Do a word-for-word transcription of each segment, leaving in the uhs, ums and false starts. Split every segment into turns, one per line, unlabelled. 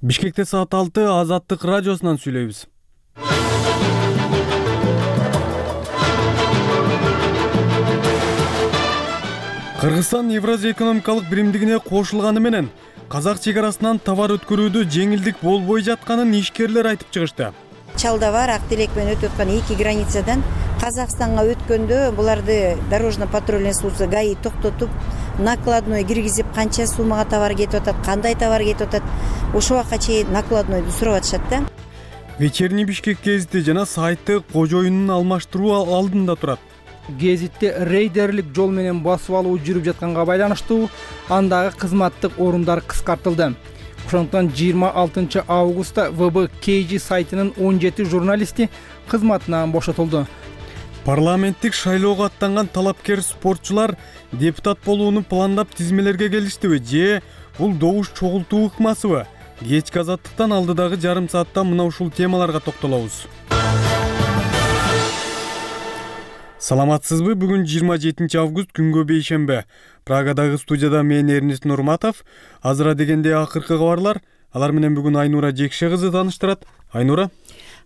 Бишкекте саат алты Азаттык радиосунан сүйлөйбүз. Кыргызстан Евразия экономикалык биримдигине кошулганы менен казак чек арасынан товар өткөрүүдө жеңилдик болбой жатканын ишкерлер айтып чыгышты.
Чалда бар ак тилек менен өтүп аткан эки границадан Казакстанга өткөндө буларды дорожно-патрульный служба ГАИ токтотуп, накладной киргизип, канча суммага товар кетип атат, кандай товар кетип атат, ошо убакка чейин накладнойду сурап атышат да.
Вечерний Бишкек гезити жана сайты кожоюнун алмаштыруу алдында турат.
Гезитте рейдерлик жол менен басып алуу жүрүп жатканга байланыштуу андагы кызматтык орундар кыскартылды. Ошондуктан жыйырма алтынчы августта вэ бэ кей жи сайтынын он жети журналисти кызматынан бошотулду.
Парламенттик шайлоого аттанган талапкер спортчулар депутат болууну пландап тизмелерге келиштиби же бул добуш чогултуу ыкмасыбы? Кечки Азаттыктан алдыдагы жарым саатта мына ушул темаларга токтолобуз. Саламатсызбы? Бүгүн жыйырма жетинчи август, күнгө бейшембе. Прагадагы студияда мен Эрнест Нурматов. Азыра дегенде акыркы кабарлар. Алар менен бүгүн Айнура Жекше кызы тааныштырат. Айнура.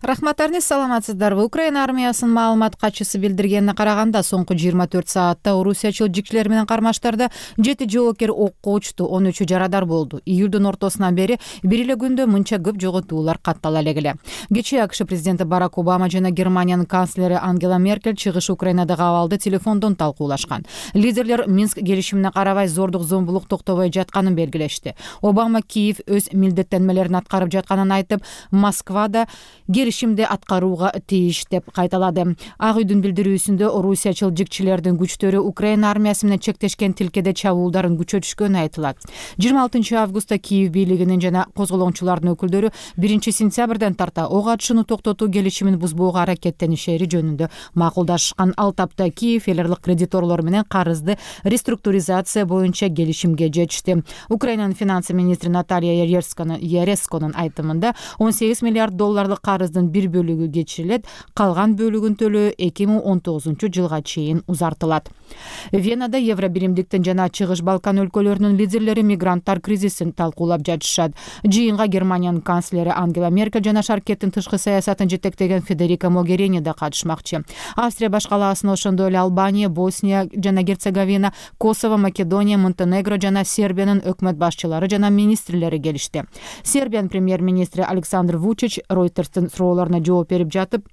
Рахмат Эрнест, саламатсыздарбы? Украина армиясынын маалымат катчысы билдиргенине караганда, соңку жыйырма төрт саатта орусиячыл жигчилер менен кармаштарда жети жоокер окко учту, он үчү жарадар болду. Июлдун ортосунан бери бир эле күндө мынча көп жоготуулар каттала элек. Кечээ АКШ президенти Барак Обама жана Германиянын канцлери Ангела Меркель чыгыш Украинадагы абалды телефондон талкуулашкан. Лидерлер Минск келишимине карабай зордук зомбулук токтобой жатканын белгилешти. Обама Киев өз милдеттенмелерин аткарып жатканын айтып, Москвада келишимди аткарууга тийиш деп кайталады. Ак үйдүн билдирүүсүндө орусиячыл жигчилердин күчтөрү Украина армиясы менен чектешкен тилкеде чабуулдарын күчөтүшкөнү айтылат. жыйырма алтынчы августта Киев бийлигинин жана козголоңчулардын өкүлдөрү биринчи сентябрдан тарта ок атышууну токтотуу келишимин бузбоого аракеттенишери жөнүндө макулдашкан. Ал тапта Киев элерлик кредиторлор менен карызды реструктуризация боюнча келишимге жетишти. Украинанын финансы министри Наталья Яресконун айтымында он сегиз миллиард долларлык карыздын бир бөлүгү кечирилет, калган бөлүгүн төлөө эки миң он тогузунчу жылга чейин узартылат. Венада Евробиримдиктин жана Чыгыш Балкан өлкөлөрүнүн лидерлери мигранттар кризисин талкуулап жатышат. Жыйынга Германиянын канцлери Ангела Меркель жана Шаркеттин тышкы саясатын жетектеген Федерика Могерини да катышмакчы. Австрия башкалаасына ошондой эле Албания, Босния жана Герцеговина, Косово, Македония, Монтенегро жана Сербиянын өкмөт башчылары жана министрлери келишти. Сербиянын премьер-министри Александр Вучич Ройтерстин суроолоруна жооп берип жатып,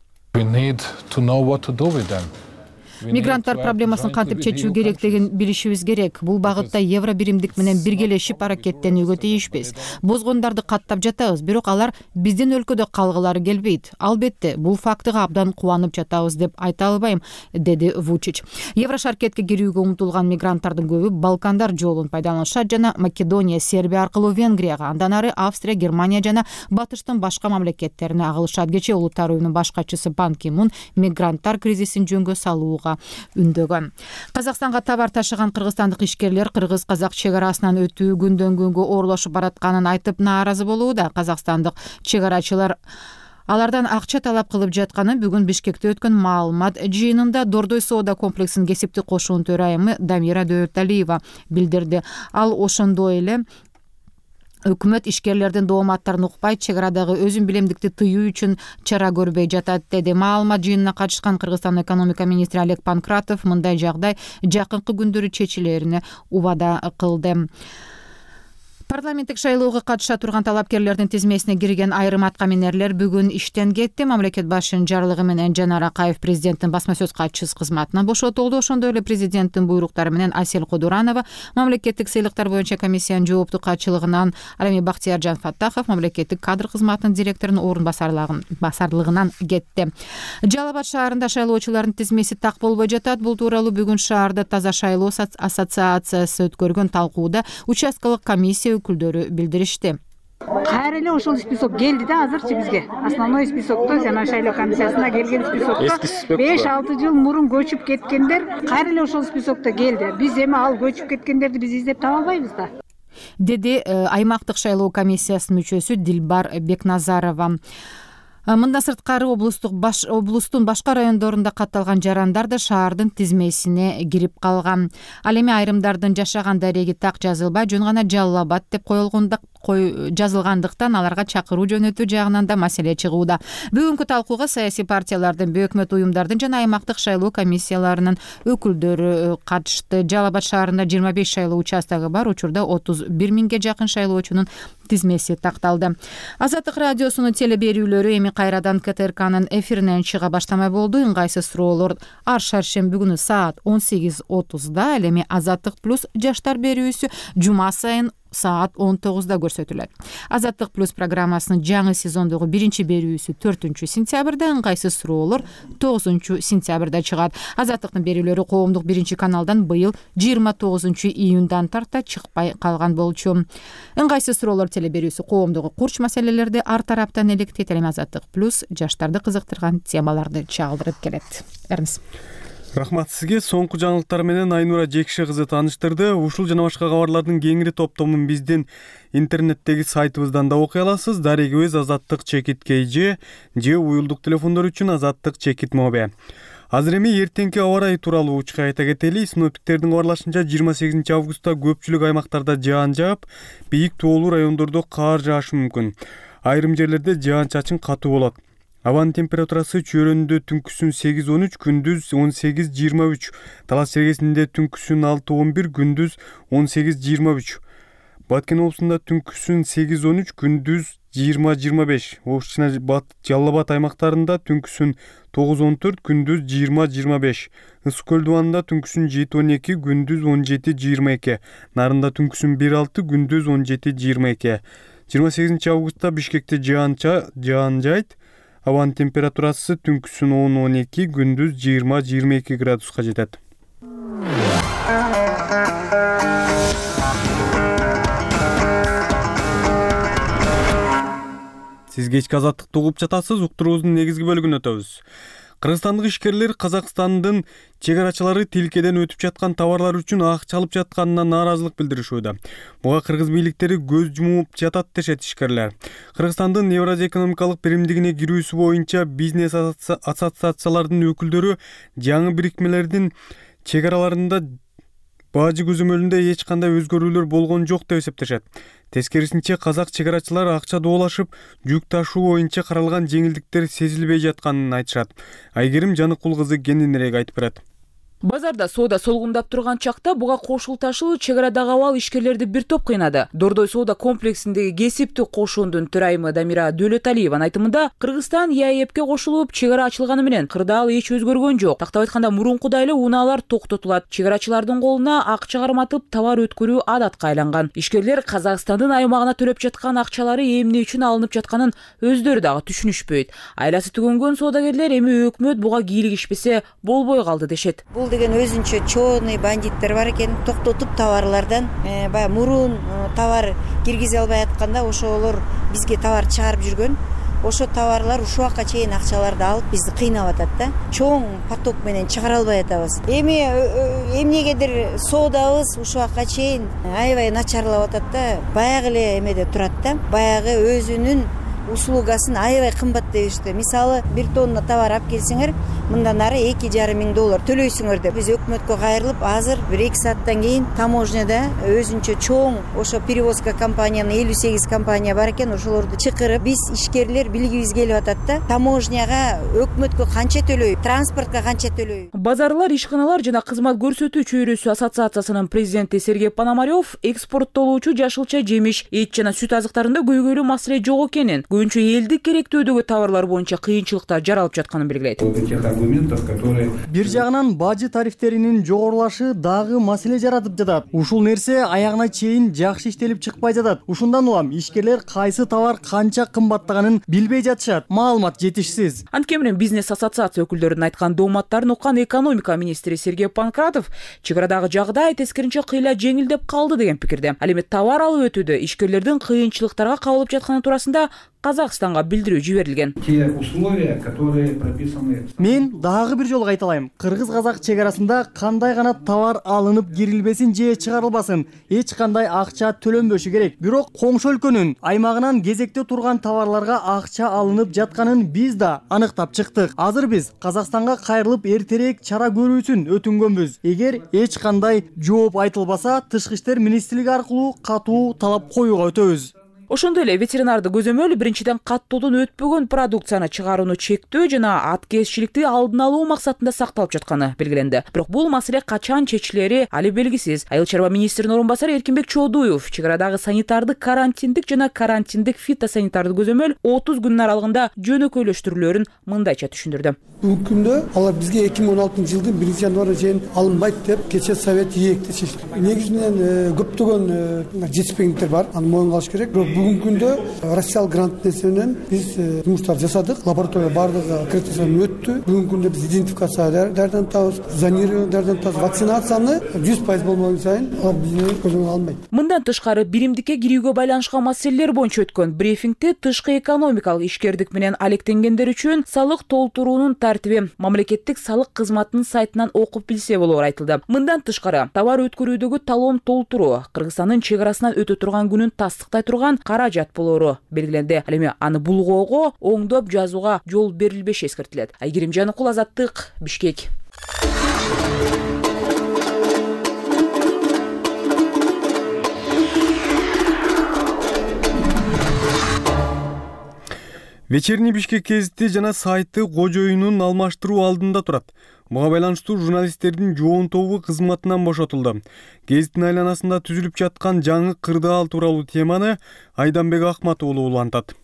мигранттар проблемасын кантип чечүү керектигин билишибиз керек. Бул багытта Евробиримдик менен биргелешип аракеттенүүгө тийишпиз. Бозгондарды каттап жатабыз, бирок алар биздин өлкөдө калгылары келбейт. Албетте, бул фактыга абдан кубанып жатабыз деп айта албайм, деди Вучич. Еврошаркетке кирүүгө умтулган мигранттардын көбү Балкандар жолун пайдаланышат жана Македония, Сербия аркылуу Венгрияга, андан ары Австрия, Германия жана батыштын башка мамлекеттерине агылышат. Кечээ Улуттар уюмунун баш катчысы Пан Ки Мун мигранттар кризисин жөнгө салууга үндөгөн. Казакстанга товар ташыган кыргызстандык ишкерлер кыргыз-казак чек арасынан өтүү күндөн күнгө оорлошуп баратканын айтып нааразы болууда. Казакстандык чек арачылар алардан акча талап кылып жатканын бүгүн Бишкекте өткөн маалымат жыйынында Дордой соода комплексинин кесиптик кошуунун төрайымы Дамира Дөөлталиева билдирди. Ал ошондой эле өкмөт ишкерлердин дооматтарын укпай, чек арадагы өзүн билемдикти тыюу үчүн чара көрбөй жатат, деди. Маалымат жыйынына катышкан Кыргызстан экономика министри Олег Панкратов мындай жагдай жакынкы күндөрү чечилерине убада кылды. Парламенттик шайлоого катыша турган талапкерлердин тизмесине кирген айрым аткаминерлер бүгүн иштен кетти. Мамлекет башчынын жарлыгы менен Жанар Акаев президенттин басма сөз катчысы кызматынан бошотулду. Ошондой эле президенттин буйруктары менен Асель Кодуранова мамлекеттик сыйлыктар боюнча комиссиянын жооптуу катчылыгынан, ал эми Бактияржан Фаттахов мамлекеттик кадр кызматынын директорунун орун басарлыгынан кетти. Жалал Абад шаарында шайлоочулардын тизмеси так болбой жатат. Бул тууралуу бүгүн шаарда Таза шайлоо ассоциациясы өткөргөн талкууда участкалык комиссия өкүлдөрү билдиришти.
Кайра эле ошол список келди да азырчы бизге. Основной списокто жана шайлоо комиссиясына келген списокто беш алты жыл мурун көчүп кеткендер кайра эле ошол списокто келди. Биз эми ал көчүп кеткендерди биз издеп таба албайбыз да,
деди аймактык шайлоо комиссиясынын мүчөсү Дилбар Бекназарова. Мындан сырткары облустук баш облустун башка райондорунда катталган жарандар да шаардын тизмесине кирип калган. Ал эми айрымдардын жашаган дареги так жазылбай, жөн гана Жалал Абад деп кой жазылгандыктан аларга чакыруу жөнөтүү жагынан да маселе чыгууда. Бүгүнкү талкууга саясий партиялардын, өкмөт уюмдардын жана аймактык шайлоо комиссияларынын өкүлдөрү катышты. Жалал Абад шаарында жыйырма беш шайлоо участогу бар. Учурда отуз бир миңге жакын шайлоочунун тизмеси такталды. Азаттык радиосунун телеберүүлөрү эми кайрадан ка тэ эр канын эфиринен чыга баштамай болду. Ыңгайсыз суроолор ар шаршемби күнү саат он сегиз отузда, ал эми Азаттык плюс жаштар берүүсү жума сайын саат он тогузда көрсөтүлөт. Азаттык плюс программасынын жаңы сезондогу биринчи берүүсү төртүнчү сентябрда, ыңгайсыз суроолор тогузунчу сентябрда чыгат. Азаттыктын берүүлөрү коомдук биринчи каналдан быйыл жыйырма тогузунчу июндан тарта чыкпай калган болчу. Ыңгайсыз суроолор телеберүүсү коомдогу курч маселелерди ар тараптан электейт. Эми Азаттык плюс жаштарды кызыктырган темаларды чагылдырып келет. Эрмис.
Рахмат сизге. Соңку жаңылыктар менен Айнура Жекше кызы тааныштырды. Ушул жана башка кабарлардын кеңири топтомун биздин интернеттеги сайтыбыздан да окуй аласыз. Дарегибиз азаттык чекит кей же же уюлдук телефондор үчүн азаттык чекит мобе. Азыр эми эртеңки аба ырайы тууралуу учка айта кетели. Синоптиктердин кабарлашынча жыйырма сегизинчи августта көпчүлүк аймактарда жаан жаап, бийик тоолуу райондордо каар жаашы мүмкүн. Айрым жерлерде жаан чачын катуу болот. Абанын температурасы чөйрөндө түнкүсүн сегиз он үч, күндүз он сегиз жыйырма үч. Талас чергесинде түнкүсүн алты он бир, күндүз он сегиз жыйырма үч. Баткен облусунда түнкүсүн сегиз он үч, күндүз жыйырма жыйырма беш. Ош жана Жалал Абад аймактарында түнкүсүн тогуз он төрт, күндүз жыйырма жыйырма беш. Ысык көл дубанында түнкүсүн жети он эки, күндүз он жети жыйырма эки. Нарында түнкүсүн бир алты, күндүз он жети жыйырма эки. жыйырма сегизинчи августта Бишкекте жаанча жаан жайт. Абанын температурасы түнкүсүн он он эки, күндүз жыйырма жыйырма эки градуска жетет. Сиз кечки азаттыкты угуп жатасыз. Уктуруубуздун негизги бөлүгүнө өтөбүз. Кыргызстандык ишкерлер Казакстандын чек-арачылары тилкеден өтүп жаткан товарлар үчүн акча алып жатканына нааразылык билдиришүүдө. Буга кыргыз бийликтери көз жумуп жатат дешет ишкерлер. Кыргызстандын Евразия экономикалык биримдигине кирүүсү боюнча бизнес ассоциациялардын өкүлдөрү жаңы бирикмелердин чек араларында бажы көзөмөлүндө эч кандай өзгөрүүлөр болгон жок деп эсептешет. Тескерисинче казак чек-арачылар акча доолашып, жүк ташуу боюнча каралган жеңилдиктер сезилбей жатканын айтышат. Айгерим Жаныкул кызы кененирээк айтып берет.
Базарда соода солгундап турган чакта буга кошулташуу чек арадагы абал ишкерлерди бир топ кыйнады. Дордой соода комплексиндеги кесиптик кошуундун төрайымы Дамира Дөөлөталиеванын айтымында, Кыргызстан е а е пке кошулуп, чек ара ачылганы менен кырдаал эч өзгөргөн жок. Тактап айтканда, мурункудай эле унаалар токтотулат. Чек арачылардын колуна акча карматып товар өткөрүү адатка айланган. Ишкерлер Казакстандын аймагына төлөп жаткан акчалары эмне үчүн алынып жатканын өздөрү дагы түшүнүшпөйт. Айласы түгөнгөн соодагерлер эми өкмөт буга кийлигишпесе болбой калды дешет.
Деген өзүнчө чоонный бандиттер бар экен, токтотуп товарлардан баягы мурун товар киргизе албай атканда ошолор бизге товар чыгарып жүргөн. Ошо товарлар ушул убакка чейин акчаларды алып бизди кыйнап атат да. Чоң поток менен чыгара албай атабыз. Эми эмнегедир соодабыз ушул убакка чейин аябай начарлап атат да. Баягы эле эмеде турат да. Баягы өзүнүн услугасын аябай кымбат дешти. Мисалы, бир тонна товар алып келсеңер, мындан ары эки жарым миң доллар төлөйсүңөр деп. Биз өкмөткө кайрылып, азыр бир эки сааттан кийин таможняда өзүнчө чоң ошо перевозка компаниянын элүү сегиз компания бар экен, ошолорду чакырып, биз ишкерлер билгибиз келип атат да. Таможняга өкмөткө канча төлөйбүз, транспортко канча төлөйбүз.
Базарлар, ишканалар жана кызмат көрсөтүү чөйрөсү ассоциациясынын президенти Сергей Пономарев экспорттолуучу жашылча жемиш, эт жана сүт азыктарында көйгөйлүү маселе жок экенин, көбүнчө элдик керектөөдөгү товарлар боюнча кыйынчылыктар жаралып жатканын белгилейт.
Бир жагынан бажы тарифтеринин жогорулашы дагы маселе жаратып жатат. Ушул нерсе аягына чейин жакшы иштелип чыкпай жатат. Ушундан улам ишкерлер кайсы товар канча кымбаттаганын билбей жатышат. Маалымат жетишсиз.
Анткени менен бизнес ассоциация өкүлдөрүнүн айткан дооматтарын уккан экономика министри Сергей Панкратов чек арадагы жагдай тескеринче кыйла жеңилдеп калды деген пикирде. Ал эми товар алып өтүүдө ишкерлердин кыйынчылыктарга кабылып жатканы туурасында Казакстанга билдирүү жиберилген.
Мен дагы бир жолу кайталайм. Кыргыз-казак чек арасында кандай гана товар алынып кирилбесин же чыгарылбасын, эч кандай акча төлөнбөшү керек. Бирок коңшу өлкөнүн аймагынан кезекте турган товарларга акча алынып жатканын биз да аныктап чыктык. Азыр биз Казакстанга кайрылып эртерээк чара көрүүсүн өтүнгөнбүз. Эгер эч кандай жооп айтылбаса, тышкы иштер министрлиги аркылуу катуу талап коюуга өтөбүз.
Ошондой эле ветеринардык көзөмөл биринчиден каттоодон өтпөгөн продукцияны чыгарууну чектөө жана аткезчиликти алдын алуу максатында сакталып жатканы белгиленди. Бирок бул маселе качан чечилери али белгисиз. Айыл чарба министринин орун басары Эркинбек Чоодуев чек арадагы санитардык карантиндик жана карантиндик фитосанитардык көзөмөл отуз күнүн аралыгында жөнөкөйлөштүрүлөөрүн мындайча түшүндүрдү.
Бүгүнкү күндө алар бизге эки миң он алтынчы жылдын биринчи январына чейин алынбайт деп кече совет ийекти чечти. Негизи менен көптөгөн жетишпегендиктер бар, аны моюнга алыш керек. Бирок бүгүнкү күндө Россиялык грант менен биз жумуштар жасадык, лаборатория бардыгы аккредитациядан өттү. Бүгүнкү күндө биз идентификация дардан табыз, зонирование дардан табыз, вакцинацияны жүз пайыз болмогон сайын алар бизге көзөмөл алынбайт.
Мындан тышкары биримдикке кирүүгө байланышкан маселелер боюнча өткөн брифингде тышкы экономикалык ишкердик менен алектенгендер үчүн салык толтуруунун тартиби мамлекеттик салык кызматынын сайтынан окуп билсе болоор айтылды. Мындан тышкары товар өткөрүүдөгү талон толтуруу Кыргызстандын чек арасынан өтө турган күнүн тастыктай турган каражат болоору белгиленди. Ал эми аны булгоого оңдоп жазууга жол берилбеши эскертилет. Айгерим Жаныкул, Азаттык, Бишкек.
Вечерний Бишкек гезити жана сайты кожоюнун алмаштыруу алдында турат. Буга байланыштуу журналисттердин жоон тобу кызматынан бошотулду. Гезиттин айланасында түзүлүп жаткан жаңы кырдаал тууралуу теманы Айданбек Акмат уулу улантат.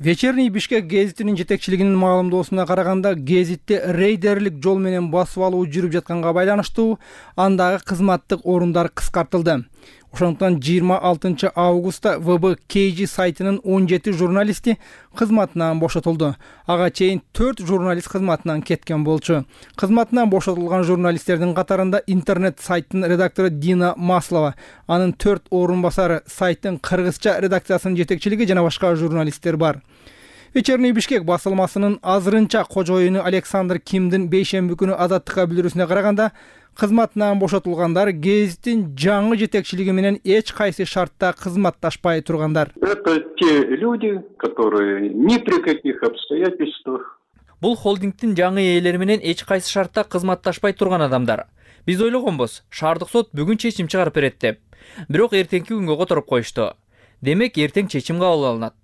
Вечерний Бишкек гезитинин жетекчилигинин маалымдоосуна караганда, гезитти рейдерлик жол менен басып алуу жүрүп жатканга байланыштуу андагы кызматтык орундар кыскартылды. Ошондуктан жыйырма алтынчы августта вэ бэ кей жи сайтынын он жети журналисти кызматынан бошотулду. Ага чейин төрт журналист кызматынан кеткен болчу. Кызматынан бошотулган журналисттердин катарында интернет сайттын редактору Дина Маслова, анын төрт орун басары, сайттын кыргызча редакциясынын жетекчилиги жана башка журналисттер бар. Вечерний Бишкек басылмасынын азырынча кожоюну Александр Кимдин бейшемби күнү Азаттыкка билдирүүсүнө караганда, кызматынан бошотулгандар гезиттин жаңы жетекчилиги менен эч кайсы шартта кызматташпай тургандар.
Это те люди, которые ни при каких обстоятельствах.
Бул холдингдин жаңы ээлери менен эч кайсы шартта кызматташпай турган адамдар. Биз ойлогонбуз, шаардык сот бүгүн чечим чыгарып берет деп. Бирок эртеңки күнгө которуп коюшту. Демек эртең чечим кабыл алынат.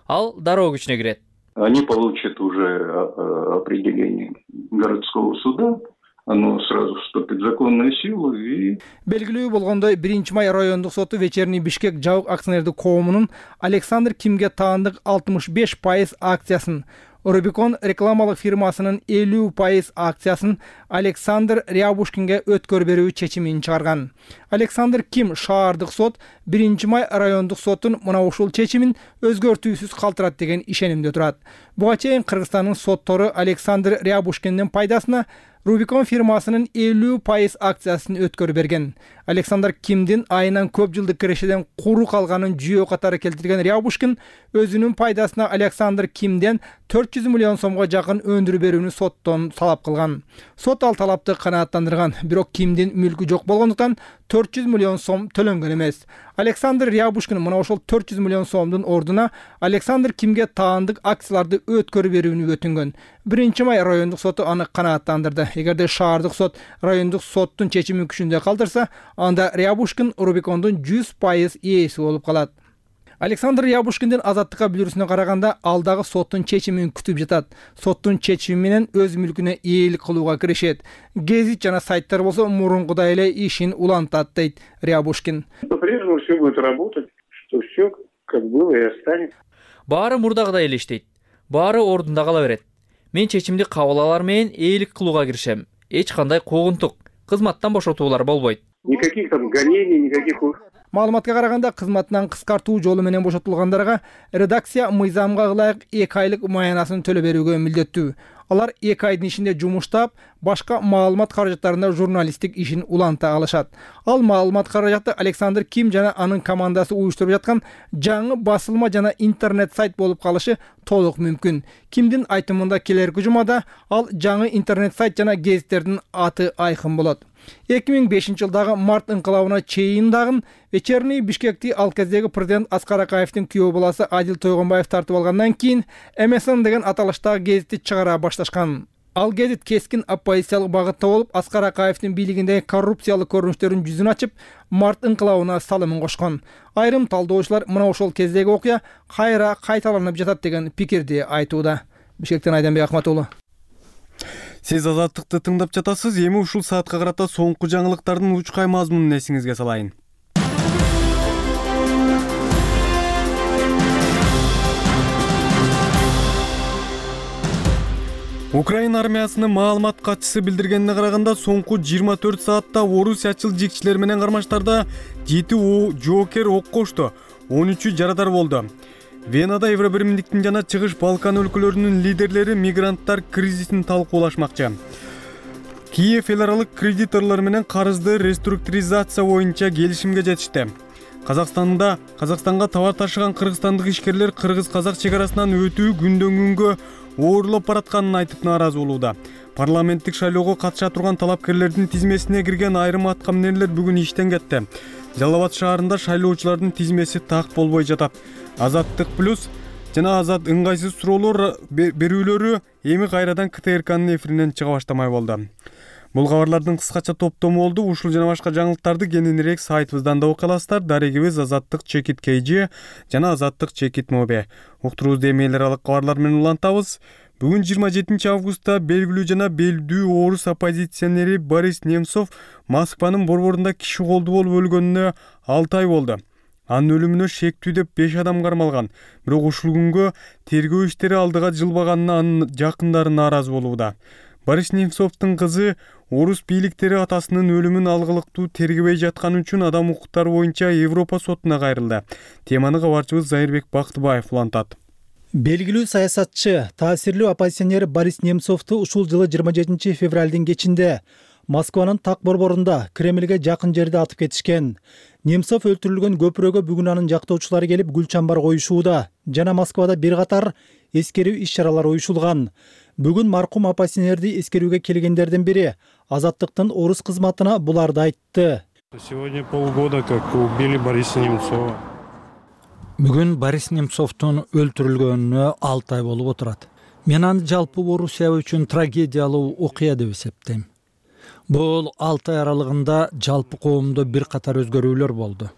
Ал дароо күчүнө кирет.
Они получат уже определение городского суда. Оно сразу вступит в законную силу и...
Белгилүү болгондой, биринчи май райондук соту Вечерний Бишкек жабык акционердик коомунун Александр Кимге таандык алтымыш беш пайыз акциясын, Рубикон рекламалык фирмасынын элүү пайыз акциясын Александр Рябушкинге өткөр берүү чечимин чыгарган. Александр Ким шаардык сот биринчи май райондук соттун мына ушул чечимин өзгөртүүсүз калтырат деген ишенимде турат. Буга чейин Кыргызстандын соттору Александр Рябушкиндин пайдасына Рубикон фирмасынын элүү пайыз акциясын өткөрүп берген. Александр Кимдин айынан көп жылдык кирешеден куру калганын жүйө катары келтирген Рябушкин өзүнүн пайдасына Александр Кимден төрт жүз миллион сомго жакын өндүрүп берүүнү соттон талап кылган. Сот ал талапты канааттандырган, бирок Кимдин мүлкү жок болгондуктан төрт жүз миллион сом төлөнгөн эмес. Александр Рябушкин мына ошол төрт жүз миллион сомдун ордуна Александр Кимге таандык акцияларды өткөрүп берүүнү өтүнгөн. биринчи май райондук соту аны канааттандырды. Эгерде шаардык сот райондук соттун чечимин күчүндө калтырса, анда Рябушкин Рубикондун жүз пайыз ээси болуп калат. Александр Рябушкиндин Азаттыкка билдирүүсүнө караганда, ал дагы соттун чечимин күтүп жатат. Соттун чечими менен өз мүлкүнө ээлик кылууга киришет. Гезит жана сайттар болсо мурункудай эле ишин улантат, дейт Рябушкин.
По-прежнему все будет работать, что все как было и останется.
Баары мурдагыдай эле иштейт. Баары ордунда кала берет. Мен чечимди кабыл алар менен ээлик кылууга киришем. Эч кандай куугунтук, кызматтан бошотуулар болбойт.
Никаких там гонений, никаких...
Маалыматка караганда, кызматынан кыскартуу жолу менен бошотулгандарга редакция мыйзамга ылайык эки айлык маянасын төлөп берүүгө милдеттүү. Алар эки айдын ичинде жумуштап, башка маалымат каражаттарында журналисттик ишин уланта алышат. Ал маалымат каражаты Александр Ким жана анын командасы уюштуруп жаткан жаңы басылма жана интернет сайт болуп калышы толук мүмкүн. Кимдин айтымында келерки жумада ал жаңы интернет сайт жана гезиттердин аты айкын болот. эки миң бешинчи жылдагы март инкылабына чейин дагы Вечерний Бишкекти ал кездеги президент Аскар Акаевдин күйөө баласы Адил Тойгонбаев тартып алгандан кийин эм эс эн деген аталыштагы гезитти чыгара башташкан. Ал гезит кескин оппозициялык багытта болуп, Аскар Акаевдин бийлигиндеги коррупциялык көрүнүштөрдүн жүзүн ачып, март инкылабына салымын кошкон. Айрым талдоочулар мына ошол кездеги окуя кайра кайталанып жатат деген пикирди айтууда. Бишкектен Айданбек Акматулу.
Сиз Азаттыкты тыңдап жатасыз. Эми ушул саатка карата соңку жаңылыктардын учкай мазмунун эсиңизге салайын. Украина армиясынын маалымат катчысы билдиргенине караганда, соңку жыйырма төрт саатта орусиячыл жигчилер менен кармаштарда жети жоокер ок кошту, он үчү жарадар болду. Венада Евробиримдиктин жана Чыгыш Балкан өлкөлөрүнүн лидерлери мигранттар кризисин талкуулашмакчы. Киев эл аралык кредиторлор менен карызды реструктуризация боюнча келишимге жетишти. Казакстанда Казакстанга товар ташыган кыргызстандык ишкерлер кыргыз-казак чек арасынан өтүү күндөн күнгө оорлоп баратканын айтып нааразы болууда. Парламенттик шайлоого катыша турган талапкерлердин тизмесине кирген айрым аткаминерлер бүгүн иштен кетти. Жалал Абад шаарында шайлоочулардын тизмеси так болбой жатат. Азаттык плюс жана Азат ыңгайсыз суроолор берүүлөрү эми кайрадан К Т Р К'нын эфиринен чыга баштамай болду. Бул кабарлардын кыскача топтому болду. Ушул жана башка жаңылыктарды кененирээк сайтыбыздан да окуя аласыздар. Дарегибиз Азаттык чекит кей джи жана Азаттык чекит моби. Уктуруубузду эми эл аралык кабарлар менен улантабыз. Бүгүн жыйырма жетинчи августта белгилүү жана белдүү орус оппозиционери Борис Немцов Москванын борборунда киши колду болуп өлгөнүнө алты ай болду. Анын өлүмүнө шектүү деп беш адам кармалган. Бирок ушул күнгө тергөө иштери алдыга жылбаганына анын жакындары нааразы болууда. Борис Немцовдун кызы орус бийликтери атасынын өлүмүн алгылыктуу тергебей жатканы үчүн адам укуктары боюнча Европа сотуна кайрылды. Теманы кабарчыбыз Зайырбек Бактыбаев улантат.
Белгилүү саясатчы, таасирлүү оппозиционер Борис Немцовду ушул жылы жыйырма жетинчи февралдын кечинде Москванын так борборунда Кремльге жакын жерде атып кетишкен. Немцов өлтүрүлгөн көпүрөгө бүгүн анын жактоочулары келип гүл чамбар коюшууда жана Москвада бир катар эскерүү иш-чаралар уюшулган. Бүгүн маркум оппозиционерди эскерүүгө келгендердин бири Азаттыктын орус кызматына буларды айтты.
Сегодня полгода как убили Бориса Немцова.
Бүгүн Борис Немцовдун өлтүрүлгөнүнө алты ай болуп отурат. Мен аны жалпы Орусия үчүн трагедиялуу окуя деп эсептейм. Бул алты ай аралыгында жалпы коомдо бир катар өзгөрүүлөр болду.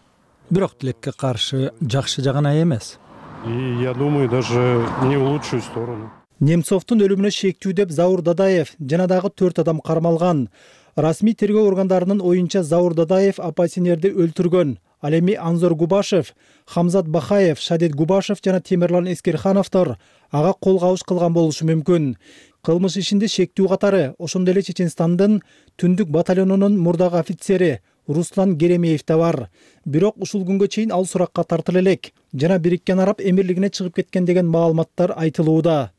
Бирок тилекке каршы жакшы жагына эмес.
И я думаю, даже не в лучшую сторону.
Немцовдун өлүмүнө шектүү деп Заур Дадаев жана дагы төрт адам кармалган. Расмий тергөө органдарынын оюнча Заур Дадаев оппозиционерди өлтүргөн. Ал эми Анзор Губашев, Хамзат Бахаев, Шадет Губашев жана Темирлан Эскерхановдор ага кол кабыш кылган болушу мүмкүн. Кылмыш ишинде шектүү катары ошондой эле Чеченстандын түндүк батальонунун мурдагы офицери Руслан Геремеев да бар. Бирок ушул күнгө чейин ал суракка тартыла элек жана Бириккен Араб Эмирлигине чыгып кеткен деген маалыматтар айтылууда.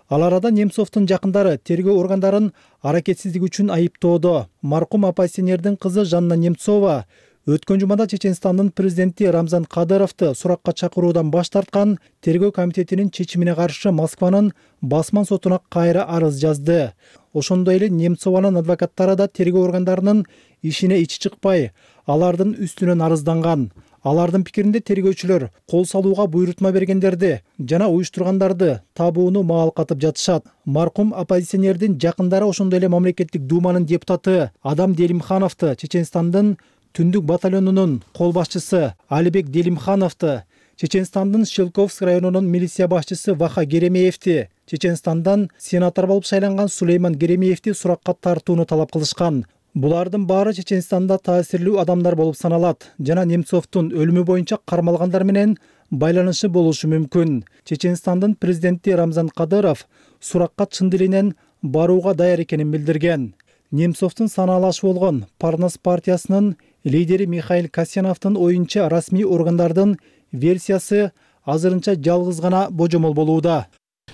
Ал арада Немцовдун жакындары тергөө органдарын аракетсиздик үчүн айыптоодо. Маркум оппозиционердин кызы Жанна Немцова өткөн жумада Чеченстандын президенти Рамзан Кадыровду суракка чакыруудан баш тарткан тергөө комитетинин чечимине каршы Москванын басман сотуна кайра арыз жазды. Ошондой эле Немцованын адвокаттары да тергөө органдарынын ишине ичи чыкпай, алардын үстүнөн арызданган. Алардын пикиринде тергөөчүлөр кол салууга буйрутма бергендерди жана уюштургандарды табууну маалкатып жатышат. Маркум оппозиционердин жакындары ошондой эле мамлекеттик думанын депутаты Адам Делимхановду, Чеченстандын түндүк батальонунун кол башчысы Алибек Делимхановду, Чеченстандын Шелковск районунун милиция башчысы Ваха Геремеевди, Чеченстандан сенатор болуп шайланган Сулейман Геремеевди суракка тартууну талап кылышкан. Булардын баары Чеченстанда таасирлүү адамдар болуп саналат жана Немцовдун өлүмү боюнча кармалгандар менен байланышы болушу мүмкүн. Чеченстандын президенти Рамзан Кадыров суракка чын дилинен барууга даяр экенин билдирген. Немцовдун санаалашы болгон Парнас партиясынын лидери Михаил Касьяновдун оюнча расмий органдардын версиясы азырынча жалгыз гана божомол болууда.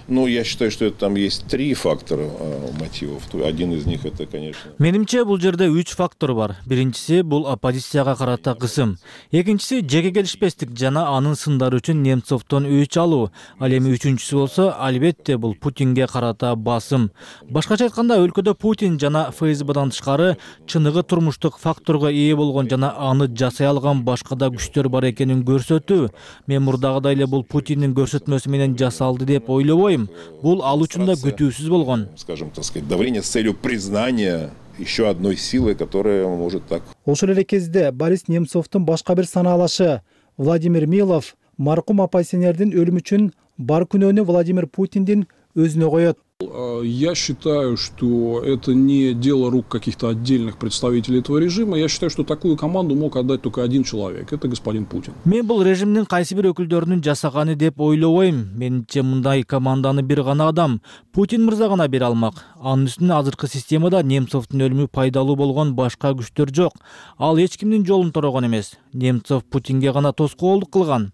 Ну, я считаю, что это там есть три фактора а, мотивов. Один из них это, конечно.
Менимче бул жерде үч фактор бар. Биринчиси бул оппозицияга карата кысым. Экинчиси жеке келишпестик жана анын сындары үчүн Немцовдон өч алуу. Ал эми үчүнчүсү болсо, албетте бул Путинге карата басым. Башкача айтканда, өлкөдө Путин жана эф эс бдан тышкары чыныгы турмуштук факторго ээ болгон жана аны жасай алган башка да күчтөр бар экенин көрсөтүү. Мен мурдагыдай эле бул Путиндин көрсөтмөсү менен жасалды деп ойлобойм. ойлойм. Бул ал үчүн да күтүүсүз болгон.
Скажем, так сказать, давление с целью признания еще одной силы, которая может так.
Ошол эле кезде Борис Немцовдун башка бир санаалашы Владимир Милов маркум оппозиционердин өлүмү үчүн бар күнөөнү Владимир Путиндин өзүнө коет.
Я считаю, что это не дело рук каких-то отдельных представителей этого режима. Я считаю, что такую команду мог отдать только один человек. Это господин Путин.
Мен бул режимдин кайсы бир өкүлдөрүнүн жасаганы деп ойлобойм. Менимче мындай команданы бир гана адам Путин мырза гана бере алмак. Анын үстүнө азыркы системада Немцовдун өлүмү пайдалуу болгон башка күчтөр жок. Ал эч кимдин жолун торогон эмес. Немцов Путинге гана тоскоолдук кылган.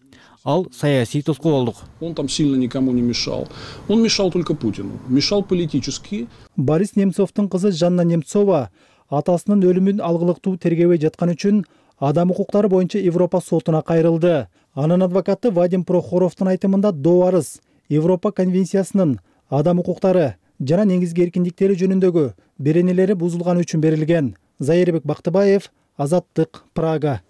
Ал саясий тоскоолдук.
Он там сильно никому не мешал. Он мешал только Путину. Мешал политически.
Борис Немцовдун кызы Жанна Немцова атасынын өлүмүн алгылыктуу тергебей жаткан үчүн адам укуктары боюнча Европа сотуна кайрылды. Анын адвокаты Вадим Прохоровдун айтымында доо арыз Европа конвенциясынын адам укуктары жана негизги эркиндиктери жөнүндөгү беренелери бузулганы үчүн берилген. Зайырбек Бактыбаев, Азаттык, Прага.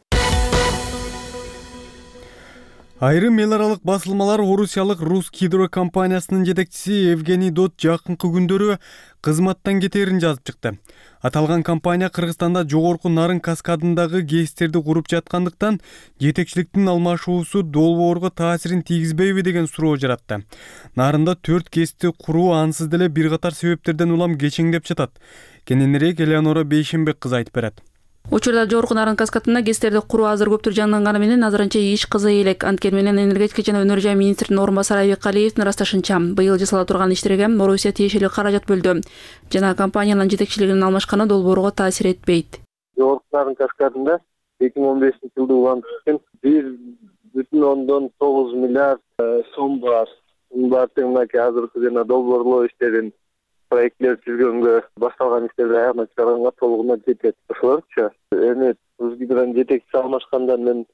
Айрым эл аралык басылмалар орусиялык Русгидро компаниясынын жетекчиси Евгений Дот жакынкы күндөрү кызматтан кетерин жазып чыкты. Аталган компания Кыргызстанда жогорку Нарын каскадындагы ГЭСтерди куруп жаткандыктан жетекчиликтин алмашуусу долбоорго таасирин тийгизбейби деген суроо жаратты. Нарында төрт ГЭСти куруу ансыз деле бир катар себептерден улам кечеңдеп жатат. Кененирээк Элеонора Бейшенбек кызы айтып берет.
Учурда жогорку Нарын каскадында ГЭСтерди куруу азыр көптүр жанданганы менен азырынча иш кызый элек. Анткени менен энергетика жана өнөр жай министринин орун басары Айбек Калиевдин ырасташынча, быйыл жасала турган иштерге Орусия тиешелүү каражат бөлдү. Жана компаниянын жетекчилигинин алмашканы долбоорго таасир этпейт.
Жогорку Нарын каскадында эки миң он бешинчи жылды улантып бир бүтүн ондон тогуз миллиард сом бар. Бул мынакей азыркы жана долбоорлоо иштерин проектлер түзгөнгө башталган иштерди аягына чыгарганга толугунан жетет. Ошолорчу эми Русгидронун жетекчиси алмашкандан мен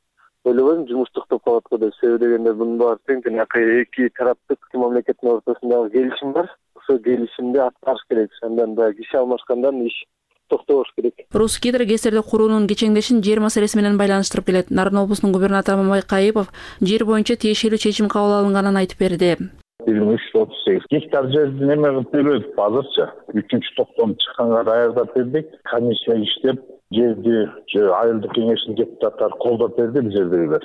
ойлобойм жумуш токтоп калат го деп. Себеби дегенде мунун баары тең эки тараптык мамлекеттин ортосундагы келишим бар. Ошол келишимди аткарыш керек. Андан да киши алмашкандан иш токтобош керек.
Русгидро ГЭСтерди куруунун кечеңдешин жер маселеси менен байланыштырып келет. Нарын облусунун губернатору Мамай Кайыпов жер боюнча тиешелүү чечим кабыл алынганын айтып берди.
бир миң үч жүз отуз сегиз гектар жерди неме кылып бербедик азырча. Үчүнчү токтом чыкканга даярдап бердик. Комиссия иштеп, жерди айылдык кеңештин депутаттары колдоп берди бизердегилер.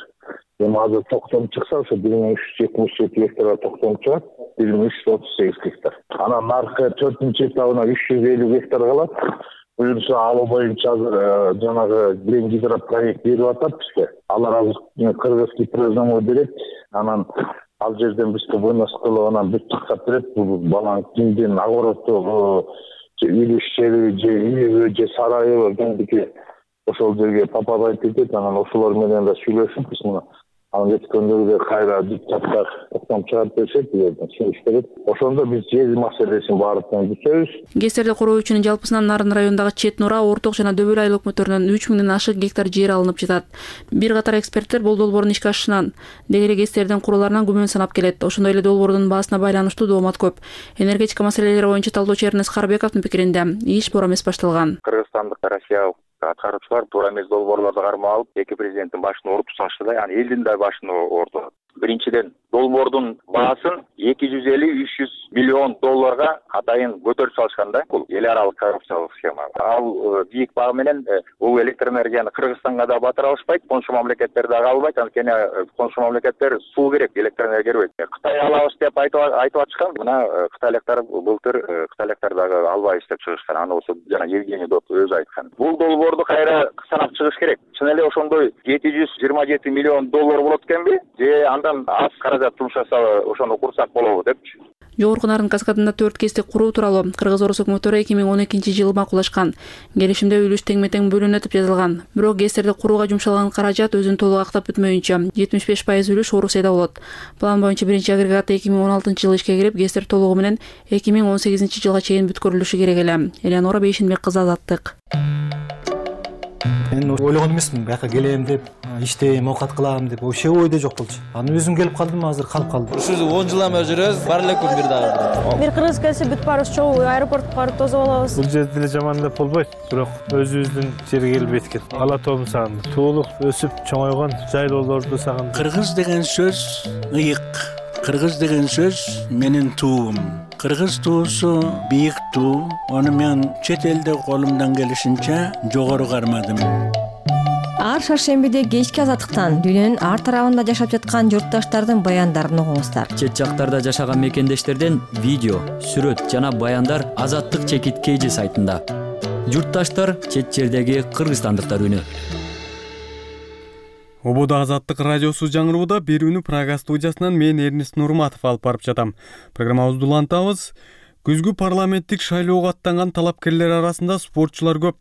Эми азыр токтом чыкса, ошо бир миң үч жүз жетимиш жети гектарга токтом чыгат, бир миң үч жүз отуз сегиз гектар. Анан наркы төртүнчү этабына үч жүз элүү гектар калат. Буюрса алуу боюнча азыр жанагы Глен Гидро проект берип атат бизге. Алар азыр кыргызский признание берет. Анан ал жерден бизге вынос кылып анан бүт тактап берет. Бул баланын кимдин огороддогу үй ишчери же үйү же сарайы кимдики ошол жерге попадать этет. Анан ошолор менен да сүйлөшүп биз мына анан жеткендөргө кайра депутаттар токтом чыгарып беришет, жерден сүйлөшүп берет. Ошондо биз жер маселесин баардыгын бүтөбүз.
ГЭСтерди куруу үчүн жалпысынан Нарын районундагы Чет Нура, Орток жана Дөбөл айыл өкмөттөрүнөн үч миңден ашык гектар жер алынып жатат. Бир катар эксперттер бул долбоордун ишке ашышынан дегеле ГЭСтердин куруларынан күмөн санап келет. Ошондой эле долбоордун баасына байланыштуу доомат көп. Энергетика маселелери боюнча талдоочу Эрнест Карбековдун пикиринде иш туура эмес башталган.
Кыргызстандык Россия аткаруучулар туура эмес долбоорлорду кармап алып, эки президенттин башын ооруп салышты да, яны элдин да башын оорду. Биринчиден, долбоордун баасын эки жүз элүү үч жүз миллион долларга атайын көтөрүп салышкан да. Бул эл аралык коррупциялык схема. Ал бийик баа менен бул электр энергияны Кыргызстанга да батыра алышпайт, коншу мамлекеттер дагы албайт. Анткени коншу мамлекеттер суу керек, электр энергия бербейт. Кытай алабыз деп айтып айтып атышкан. Мына кытайлыктар былтыр кытайлыктар дагы албайбыз деп чыгышкан. Аны болсо жана Евгений Дот өзү айткан. Бул долбоорду кайра санап чыгыш керек. Чын эле ошондой жети жүз жыйырма жети миллион доллар болот экенби? Же андан аз каражат жумшаса ошону курсак болобу депчи.
Жогорку Нарын каскадында төрт ГЭСти куруу тууралуу Кыргыз-Орус өкмөттөрү эки миң он экинчи жылы макулдашкан. Келишимде үлүш теңме-тең бөлүнөт деп жазылган. Бирок ГЭСтерди курууга жумшалган каражат өзүн толук актап бүтмөйүнчө жетимиш беш пайыз үлүш Орусияда болот. План боюнча биринчи агрегат эки миң он алтынчы жылы ишке кирип, ГЭСтер толугу менен эки миң он сегизинчи жылга чейин бүткөрүлүшү керек эле. Элеонора Бейшенбек кызы, Азаттык.
Мен ойлогон эмесмин, бияка келем деп, иштейм, оокат кылам деп, вообще ойдо жок болчу. Аны өзүм келип калдым, азыр калып калдым.
Ушул он жылдан бери жүрөбүз, бар эле күн бир дагы.
Бир кыргыз келсе бүт баарыбыз чогуу аэропортко барып тосуп алабыз.
Бул жерде деле жаман деп болбойт, бирок өзүбүздүн жерге келбейт экен. Ала тообун сагындым. Туулук өсүп чоңойгон жайлоолорду сагындым.
Кыргыз деген сөз ыйык.
Кыргыз деген сөз менин туум. Кыргыз туусу бийик туу. Аны мен чет элде колумдан келишинче жогору кармадым.
Ар шаршембиде кечки азаттыктан дүйнөнүн ар тарабында жашап жаткан журтташтардын баяндарын угуңуздар.
Чет жактарда жашаган мекендештерден видео, сүрөт жана баяндар Азаттык чекит Кейжи сайтында. Журтташтар чет жердеги кыргызстандыктар үнү.
Ободо Азаттык радиосу жаңырууда берүүнү Прага студиясынан мен Эрнест Нурматов алып барып жатам. Программабызды улантабыз. Күзгү парламенттик шайлоого аттанган талапкерлер арасында спортчулар көп.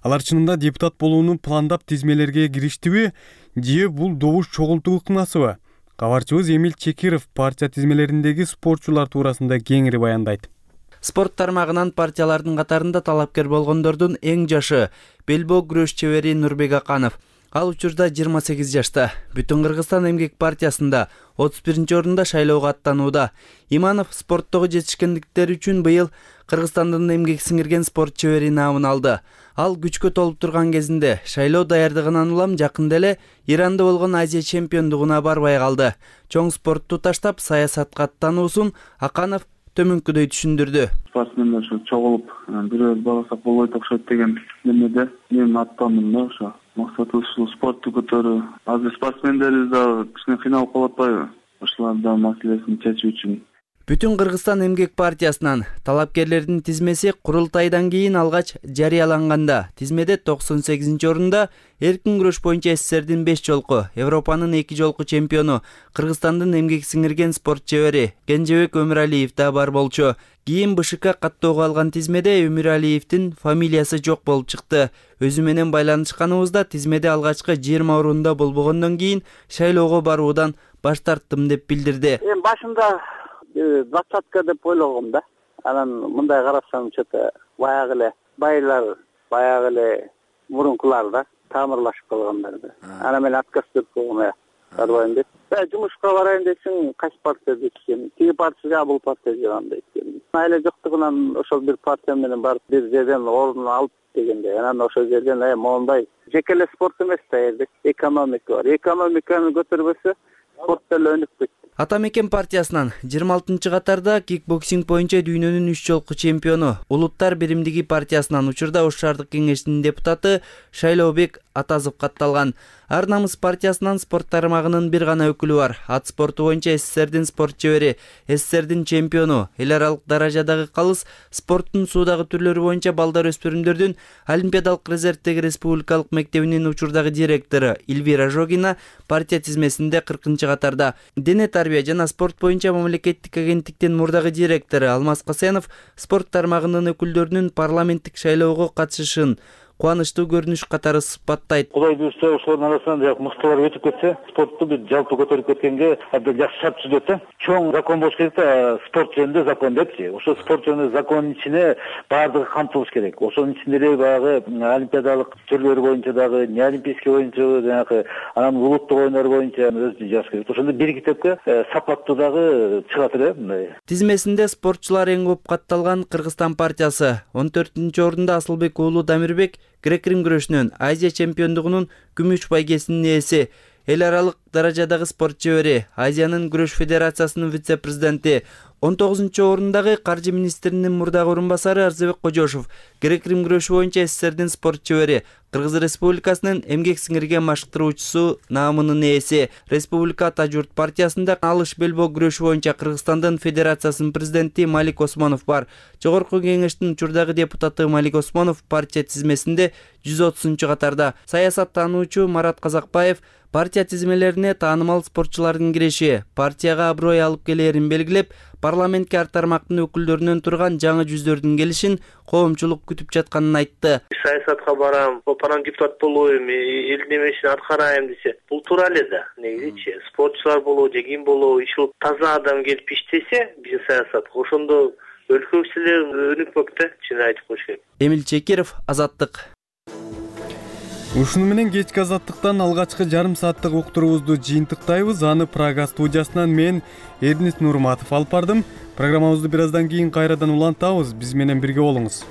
Алар чынында депутат болууну пландап тизмелерге кириштиби, же бул добуш чогултуу ыкмасыбы? Кабарчыбыз Эмил Чекиров партия тизмелериндеги спортчулар туурасында кеңири баяндайт.
Спорт тармагынан партиялардын катарында талапкер болгондордун эң жашы белбоо күрөш чебери Нурбек Аканов. Ал учурда жыйырма сегиз жашта. Бүтүн Кыргызстан эмгек партиясында отуз биринчи орунда шайлоого аттанууда. Иманов спорттогу жетишкендиктери үчүн быйыл Кыргызстандын эмгек сиңирген спорт чебери наамын алды. Ал күчкө толуп турган кезинде шайлоо даярдыгынан улам жакында эле Иранда болгон Азия чемпиондугуна барбай калды. Чоң спортту таштап саясатка аттануусун Аканов төмөнкүдөй түшүндүрдү.
Спортсмендер ошо чогулуп бирөөбүз барсак болбойт окшойт деген немеде мен аттандым да ошо. Максатыбыз ушул спортту көтөрүү. Азыр спортсмендерибиз дагы кичине кыйналып калып атпайбы? Ошолардын маселесин чечүү үчүн.
Бүтүн Кыргызстан эмгек партиясынан талапкерлердин тизмеси курултайдан кийин алгач жарыяланганда тизмеде токсон сегизинчи орунда эркин күрөш боюнча СССРдин беш жолку, Европанын эки жолку чемпиону, Кыргызстандын эмгек сиңирген спорт чебери Кенжебек Өмүралиев да бар болчу. Кийин БШК каттоого алган тизмеде Өмүралиевдин фамилиясы жок болуп чыкты. Өзү менен байланышканыбызда тизмеде алгачкы жыйырма орунда болбогондон кийин шайлоого баруудан баш тарттым деп билдирди.
Эми башында двадцатка деп ойлогом да. Анан мындай карасам, что-то баягы эле байлар, баягы эле мурункулар да тамырлашып калгандар да. Анан мен отказ берип койгом, барбайм деп. Э, жумушка барайын десең, кайсы партия десем, тиги партия, бул партия жаган дейт. Айла жоктугунан ошол бир партия менен барып бир жерден орун алып дегенде, анан ошол жерден э моундай жеке эле спорт эмес да, элбет экономика бар. Экономиканы көтөрбөсө спорт деле өнүкпөйт.
Атамекен партиясынан жыйырма алтынчы катарда кикбоксинг боюнча дүйнөнүн үч жолку чемпиону, Улуттар биримдиги партиясынан учурда Ош шаардык кеңешинин депутаты Шайлообек Атазов катталган. Ар намыс партиясынан спорт тармагынын бир гана өкүлү бар. Ат спорту боюнча СССРдин спорт чебери, СССРдин чемпиону, эл аралык даражадагы калыс спорттун суудагы түрлөрү боюнча балдар өспүрүмдөрдүн Олимпиадалык резервдеги республикалык мектебинин учурдагы директору Эльвира Жогина партия тизмесинде кыркынчы катарда. Дене тарбия жана спорт боюнча мамлекеттик агенттиктин мурдагы директору Алмаз Касенов спорт тармагынын өкүлдөрүнүн парламенттик шайлоого катышышын кубанычтуу көрүнүш катары сыпаттайт.
Кудай буюрса, ошолордун арасынан жак мыктылар өтүп кетсе, спортту бир жалпы көтөрүп кеткенге абдан жакшы шарт түзөт да. Чоң закон болуш керек да, спорт жөнүндө закон депчи. Ошо спорт жөнүндө закондун ичине баардыгы камтылыш керек. Ошонун ичинде эле баягы олимпиадалык түрлөрү боюнча дагы, неолимпийский боюнча жанагы, анан улуттук оюндар боюнча өзү жазыш керек. Ошондо бир китепке сапаттуу дагы чыгат эле мындай.
Тизмесинде спортчулар эң көп катталган Кыргызстан партиясы. он төртүнчү орунда Асылбек уулу Дамирбек грек-рим күрөшүнөн Азия чемпиондугунун күмүш байгесинин ээси, эл аралык даражадагы спорт чебери, Азиянын күрөш федерациясынын вице-президенти. он тогузунчу орундагы каржы министринин мурдагы орун басары Арзыбек Кожошов грек-рим күрөшү боюнча СССРдин спорт чебери, Кыргыз Республикасынын эмгек сиңирген машыктыруучусу наамынын ээси. Республика Ата журт партиясында алыш белбоо күрөшү боюнча Кыргызстандын федерациясынын президенти Малик Осмонов бар. Жогорку кеңештин учурдагы депутаты Малик Осмонов партия тизмесинде жүз отузунчу катарда. Саясаттануучу Марат Казакбаев партия тизмелерине таанымал спортчулардын кириши партияга аброй алып келерин белгилеп, парламентке ар тармактын өкүлдөрүнөн турган жаңы жүздөрдүн келишин коомчулук күтүп жатканын айтты.
Саясатка барам, парламент депутат болоюм, элдин немесин аткарайм десе, бул туура эле да. Негизичи спортчулар болобу, же ким болобу, иши таза адам келип иштесе, биздин саясатка ошондо өлкөбүз эле өнүкпөк да, чын айтып коюш керек.
Эмил Чекиров, Азаттык.
Ушуну менен кечки Азаттыктан алгачкы жарым сааттык уктуруубузду жыйынтыктайбыз. Аны Прага студиясынан мен Эрнест Нурматов алып бардым. Программабызды бир аздан кийин кайрадан улантабыз. Биз менен бирге болуңуз.